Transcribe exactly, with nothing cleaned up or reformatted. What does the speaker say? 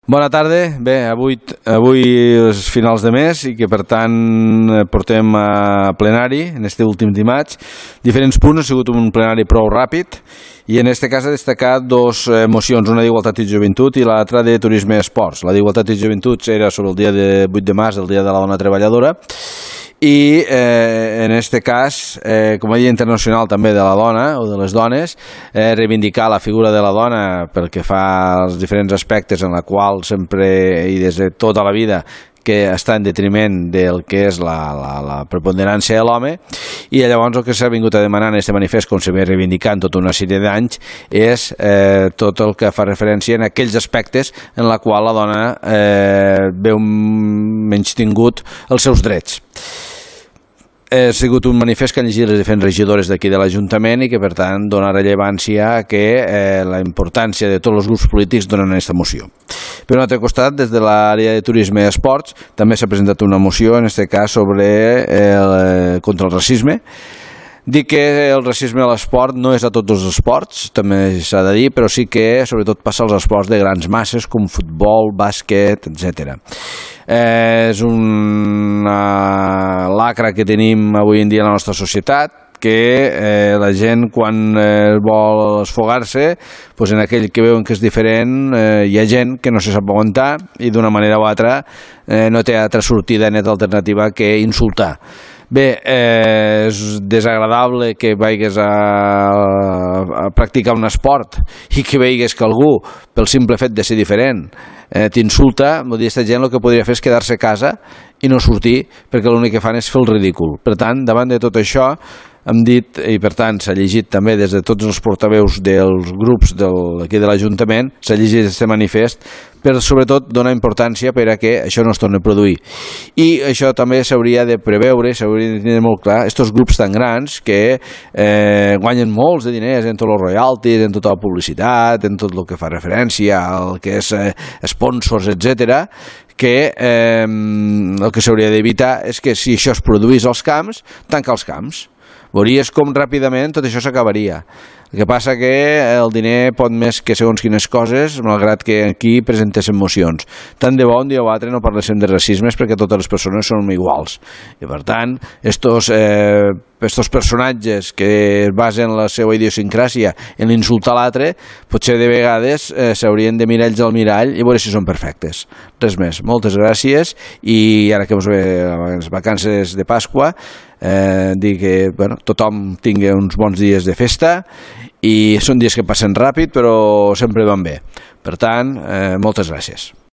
Bona tarda. Bé, avui, avui és finals de mes i que per tant portem a plenari en este últim dimarts diferents punts. Ha sigut un plenari prou ràpid i en este cas ha destacat dos mocions, una d'Igualtat i Joventut i l'altra de Turisme i Esports. La d'Igualtat i Joventut era sobre el dia de vuit de març, el dia de la dona treballadora, i eh, en este cas, eh, com a Dia Internacional també de la dona o de les dones, eh, reivindicar la figura de la dona pel que fa als diferents aspectes en la qual sempre i des de tota la vida que està en detriment del que és la, la, la preponderància de l'home, i llavors el que s'ha vingut a demanar en aquest manifest, com s'ha ve reivindicant tota una sèrie d'anys, és eh, tot el que fa referència en aquells aspectes en la qual la dona eh, veu menystingut els seus drets. Ha sigut un manifest que han llegit les diferents regidores d'aquí de l'Ajuntament i que per tant dona rellevància a que eh, la importància de tots els grups polítics donen aquesta moció. Per un altre costat, des de l'àrea de Turisme i Esports també s'ha presentat una moció, en aquest cas sobre el, contra el racisme. Dic que el racisme a l'esport no és a tots els esports, també s'ha de dir, però sí que sobretot passa als esports de grans masses com futbol, bàsquet, etcètera. Eh, és una lacra que tenim avui en dia a la nostra societat, que eh, la gent quan eh, vol esfogar-se, doncs en aquell que veuen que és diferent eh, hi ha gent que no se sap aguantar i d'una manera o altra eh, no té altra sortida net alternativa que insultar. Bé, eh, és desagradable que vagis a, a practicar un esport i que veigues que algú, pel simple fet de ser diferent, eh, t'insulta. Vull dir, aquesta gent el que podria fer és quedar-se a casa i no sortir, perquè l'únic que fan és fer el ridícul. Per tant, davant de tot això, hem dit, i per tant s'ha llegit també des de tots els portaveus dels grups del, aquí de l'Ajuntament, s'ha llegit aquest manifest per sobretot donar importància per a que això no es torni a produir. I això també s'hauria de preveure, s'hauria de tenir molt clar, aquests grups tan grans que eh, guanyen molts de diners en tots els royalties, en tota la publicitat, en tot el que fa referència al que és eh, sponsors, etcètera, que eh, el que s'hauria d'evitar és que si això es produís als camps, tancar els camps. Veuries com ràpidament tot això s'acabaria. El que passa que el diner pot més que segons quines coses, malgrat que aquí presentéssim mocions. Tant de bo un dia o altre no parléssim de racismes, perquè totes les persones són iguals. I per tant, estos, eh, estos personatges que es basen la seva idiosincràsia en l'insultar l'altre, potser de vegades eh, s'haurien de mirar ells al mirall i veure si són perfectes. Res més. Moltes gràcies, i ara que ens ve les vacances de Pasqua, eh, dir que bueno, tothom tingui uns bons dies de festa, i són dies que passen ràpid però sempre van bé. Per tant, eh, moltes gràcies.